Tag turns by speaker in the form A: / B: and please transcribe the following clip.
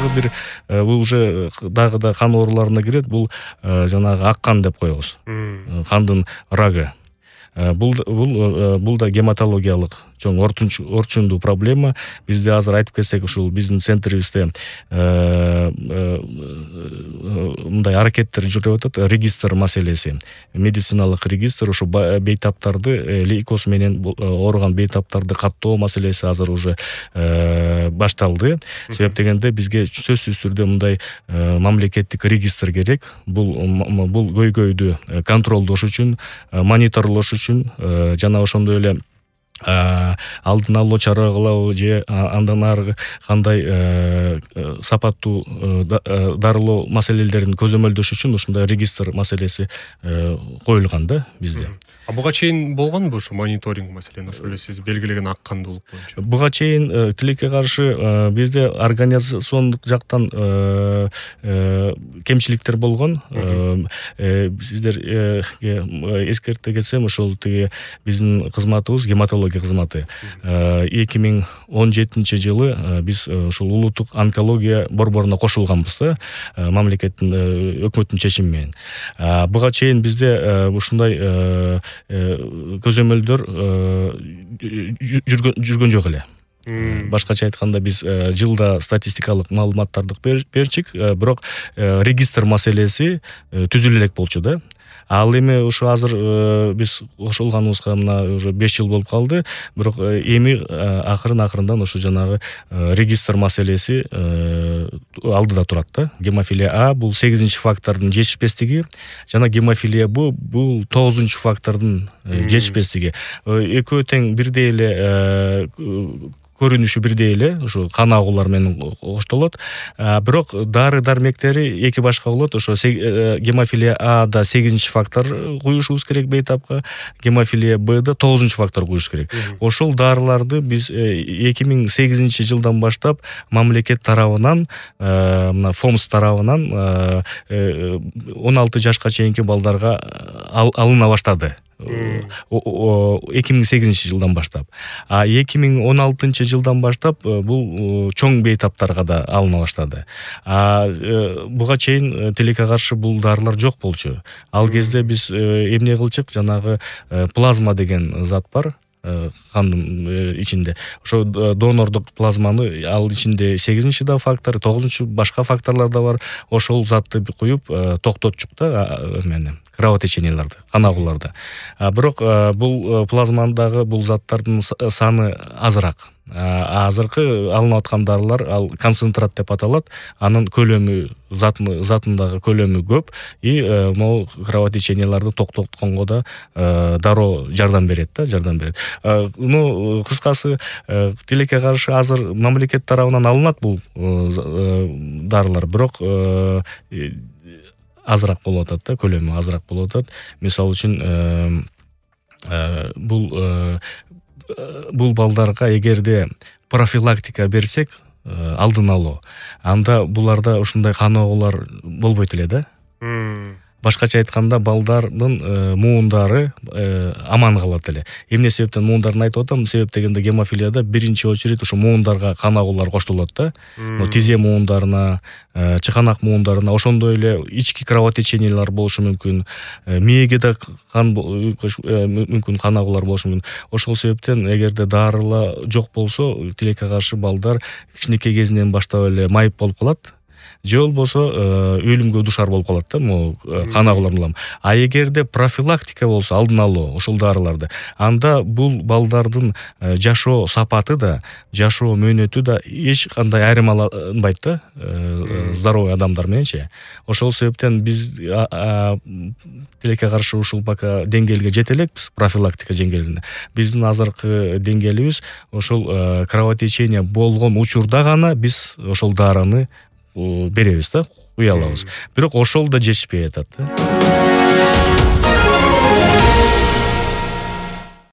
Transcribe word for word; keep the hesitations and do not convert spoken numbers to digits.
A: дагы бир бул уже дагы да кан ооруларына кирет. Бул жанагы ак кан деп коебуз. Кандын рагы. Бул бул бул да гематологиялык чоң орчундуу проблема. Бизде азыр айтып кетсек, ушул биздин центрибизде мындай аракеттер жүрүп атат. Регистр маселеси. Медициналык регистр ушу бейтаптарды, лейкоз менен ооруган бейтаптарды каттоо маселеси азыр уже башталды. Себеп дегенде бизге сөзсүз түрдө мындай мамлекеттик регистр керек. Бул бул көйгөйдү контролдош үчүн, мониторлош үчүн жана ошондой эле алдын алуу, чаралоо же андан ары кандай сапаттуу дарылоо маселелерин көзөмөлдөш үчүн ушундай регистр маселеси коюлган да бизде.
B: А буга чейин болгонбу ушу мониторинг маселени, ошо эле сиз белгилеген ак кандуулук боюнча?
A: Буга чейин тилекке каршы бизде организациондук жактан кемчиликтер болгон. Сиздерге эскерте кетсем, ошол тиги биздин кызматыбыз, гематология кызматы. эки миң он жетинчи жылы биз ушул улуттук онкология борборуна кошулганбыз да, мамлекеттин, өкмөттүн чечими менен. Буга чейин бизде ушундай көзөмөлдөр жүргөн жок эле. Башкача айтканда, биз жылда статистикалык маалыматтарды берчик, бирок регистр маселеси түзүлө элек болчу да. Ал эми ушу азыр биз кошулганыбызга мына уже беш жыл болуп калды, бирок эми акырын акырындан ушу жанагы регистр маселеси алдыда турат да. Гемофилия А бул сегизинчи фактордун жетишпестиги, жана гемофилия Б бул тогузунчу фактордун жетишпестиги. Экөө тең бирдей эле көрүнүшү бирдей эле, ушу кан агуулар менен коштолот. Бирок дары дармектери эки башка болот. Ошо гемофилия Ада сегизинчи фактор куюшубуз керек бейтапка, гемофилия Бда тогузунчу фактор куюш керек. Ошол дарыларды биз эки миң сегизинчи жылдан баштап мамлекет тарабынан, мына ФОМС тарабынан он алты жашка чейинки балдарга алына баштады. эки миң сегизинчи жылдан баштап. А эки миң он алтынчы жылдан баштап бул чоң бейтаптарга да алына баштады. А буга чейин тилекке каршы бул дарылар жок болчу. Ал кезде биз эмне кылчык, жанагы плазма деген зат бар кандын ичинде. Ошо донордук плазманы, ал ичинде сегизинчи да фактор, тогузунчу башка факторлар да бар. Ошол затты куюп токтотчук да эмени, кровотеченияларды, кан агууларды. Бирок бул плазмадагы бул заттардын саны азыраак. Азыркы алынып аткан дарылар, ал концентрат деп аталат. Анын көлөмү, затындагы көлөмү көп, и могу кровотеченияларды токтотконго да дароо жардам берет да, жардам берет. Ну, кыскасы, тилекке каршы азыр мамлекет тарабынан алынат бул дарылар, бирок азыраак болуп атат да, көлөмү азыраак болуп атат. Мисалы үчүн бул бул балдарга эгерде профилактика берсек, алдын алуу, анда буларда ушундай кан агуулар болбойт эле да. Башкача айтканда, балдардын муундары аман калат эле. Эмне себептен муундарын айтып атам? Себеп дегенде, гемофилияда биринчи очередь ушу муундарга кан агуулар коштолот да. Тизе муундарына, чыканак муундарына, ошондой эле ички кровотечениялар болушу мүмкүн, мээге да кан мүмкүн кан агуулар болушу мүмкүн. Ошол себептен эгерде дарыла жок болсо, тилекке каршы балдар кичинекей кезинен баштап эле майып болуп калат. Же болбосо өлүмгө душар болуп калат да, могу кан агуулар менен. А эгерде профилактика болсо, алдын алуу ушул дарыларды, анда бул балдардын жашоо сапаты да, жашоо мөөнөтү да эч кандай айырмаланбайт да, здоровый адамдар мененчи. Ошол себептен биз тилекке каршы ушул пока деңгээлге жете элекпиз, профилактика деңгээлине. Биздин азыркы деңгээлибиз ошол кровотечение болгон учурда гана биз ошол дарыны беребиз да, куя алабыз. Бирок ошол да жетишпей атат да.